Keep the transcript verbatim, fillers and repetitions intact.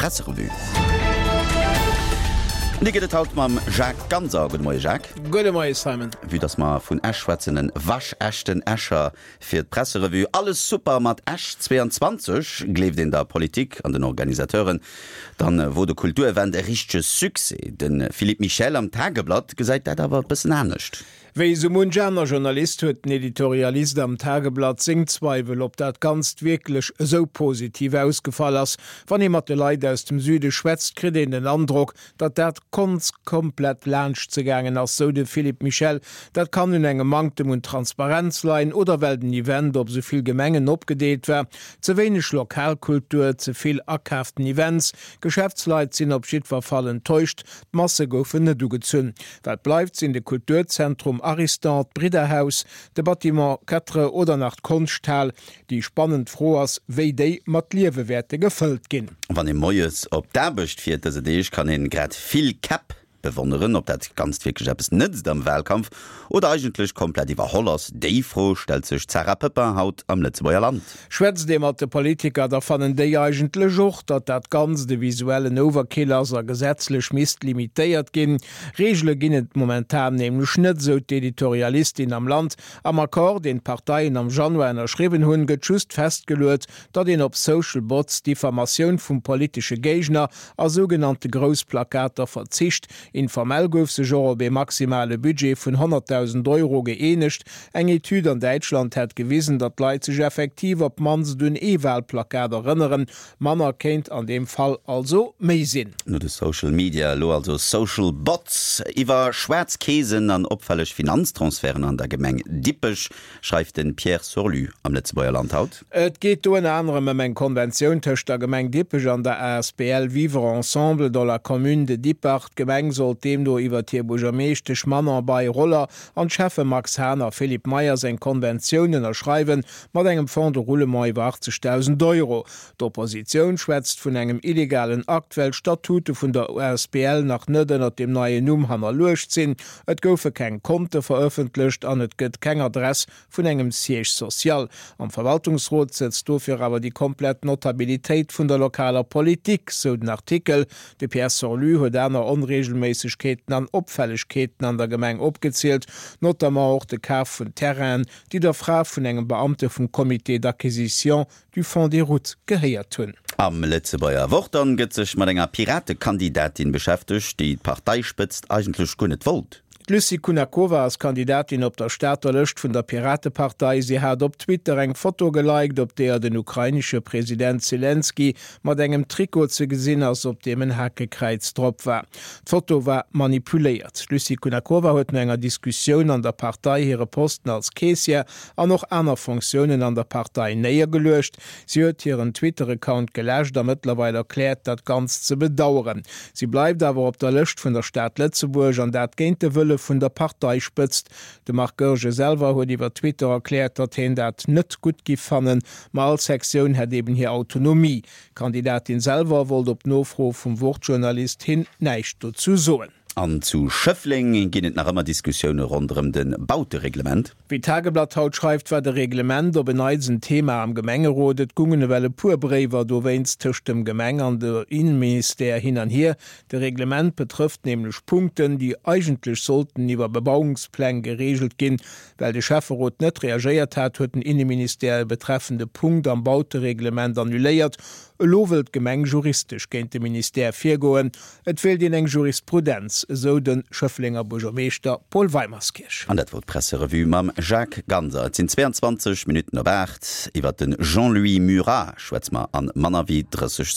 D'Presserevue. An déi gëtt et haut mam Jacques Ganser. Gudde Moie Jacques. Gudde Moie Simon. Vue dass mer vun Esch schwätzen, en waschechten Escher fir d'Presserevue. Alles super mat Esch zwee an zwanzeg, gleeft een der Politik an den Organisateuren, dann wor de Kulturevent e richtege Succès. De Philippe Michel am Tageblatt gesäit dat awer e bëssen anescht. Wéi sou munch aner Journalist huet den Editorialist am Tageblatt seng Zweiwel, ob dat Ganzt wierklech esou positiv ausgefall ass. Wann ee mat de Leit aus dem Süde schwätzt, kritt een den Androck, datt dat Ganzt komplett laanscht se gaangen ass, sou de Philippe Michel. Dat kann un engem Manktem un Transparenz leien oder well den Event op sou vill Gemengen opgedeelt war. Ze wéineg Lokalkultur, ze vill akaaften Events, Geschäftsleit sinn op jiddwer Fall enttäuscht, d'Masse goufen net ugezunn. Wat bleift, sinn de Kulturzentrum Ariston, d'Bridderhaus, de Bâtiment quatre oder nach d'Konschthal. Déi spannend Fro ass, wéi déi mat Liewe wäerte gefëllt ginn. Wann ee moies op d'Aarbecht fiert dëse Deeg, kann een grad vill Käpp bewonneren. Ob dat Ganzt wierklech eppes nëtzt am Wahlkampf oder eigentlech komplett iwwerholl ass, déi Fro stellt sech d'Sarah Poepping haut am Lëtzebuerger Land. Schwätzt ee mat de Politiker, da fannen déi eigentlech och, datt dat Ganzt e visuellen Overkill ass a gesetzlech misst limitéiert ginn. Reegele ginn et momentan nämlech net, sou d'Editorialistin am Land. Am Accord, deen d'Parteien am Januar ënnerschriwwen hunn, gëtt just festgeluecht, datt een op Social Bots, Diffamatioun vum politesche Géigner a sougenannte Groussplakater verzicht. Informell gouf sech och op e maximale Budget vun honnertdausend Euro gëeenegt. Eng Etüd an Däitschland hätt gewisen, datt d'Leit sech effektiv op d'mannst un ee Wahlplakat erënneren. Manner kéint an deem Fall also méi sinn. No de Social Media, elo also Social Bots. Iwwer schwaarz Keesen an opfälleg Finanztransferten an der Gemeng Dippech schreift de Pierre Sorlu am Lëtzebuerger Land haut. Et geet do ënner anerem ëm eng Konventioun tëscht der Gemeng Dippech an der A S B L Vivre Ensemble dans la commune de Dippach. D'Gemeng sollt deemno iwwer hir Buergermeeschtesch Manon Bei-Roller an d'Schäffe Max Hahn a Philippe Meyers eng Konventioun ënnerschreiwen mat engem Fonds de roulement iwwer achtzegdausend Euro. D'Oppositioun schwätzt vun engem illegalen Akt, well d'Statute vun der A S B L nach net ënner dem neien Numm hannerluecht sinn. Et goufe keng Konte verëffentlecht an et gëtt keng Adress vun engem Siège social. Am Verwaltungsrot sëtzt dofir awer déi komplett Notabilitéit vun der lokaler Politik, sou den Artikel. De Pierre Sorlu huet aner Onreegelméissegkeeten an Opfällegkeeten an der Gemeng opgezielt, notamment och de Kaf vun Terrainen, déi der Fra vun engem Beamte vum Comité d'acquisition du Fonds des routes gehéiert hunn. Am Lëtzebuerger Wort dann gëtt sech mat enger Piratekandidatin beschäftegt, déi d'Parteispëtzt eigentlech guer net wollt. D'Lucie Kunakova ass Kandidatin op der Stater Lëscht vun der Piratepartei. Si hat op Twitter eng Foto geliked, op där den ukrainesche President Selenskyj mat engem Trikot ze gesinn ass, op deem en Hakekräiz drop war. D'Foto war manipuléiert. Lucie Kunakova huet no enger Diskussioun an der Partei hire Posten als Caissière an och aner Funktiounen an der Partei néiergeluecht. Si huet hiren Twitter-Account geläscht a mëttlerweil erkläert, dat Ganzt ze bedaueren. Si bleift awer op der Lëscht vun der Stad Lëtzebuerg an dat géint de Wëlle vun der Parteispëtzt. De Marc Goergen selwer huet iwwer Twitter erkläert, datt hien dat net gutt géif fannen, ma all Sektioun hätt eben hir Autonomie. D'Kandidatin selwer wollt op Nofro vum Wort-Journalist hin näischt dozou soen. An zu Schëffleng ginn et nach ëmmer Diskussioune ronderëm de Bautereglement. Wéi d'Tageblatt haut schreift, war de Reglement op en Neits en Thema am Gemengerot. Et goungen ewell e puer Bréiwer dowéinst tëscht dem Gemeng an dem Inneministère hin an hier. De Reglement betrëfft nämlech Punkten, déi eigentlech sollten iwwer Bebauungspläng gereegelt ginn. Well de Schäfferot net reagéiert hat, huet den Inneministère e betreffende Punkt am Bautereglement annuléiert. Elo wëll d'Gemeng juristesch géint de Ministère virgoen. Et wéilt een eng Jurisprudenz, esou de Schëfflenger Buergermeeschter Paul Weimerskirch. An dat wor d'Presserevue mam Jacques Ganser. Et sinn zweeanzwanzeg Minutten op aacht. Iwwer de Jean-Louis Murat schwätze mer an manner wéi drësseg.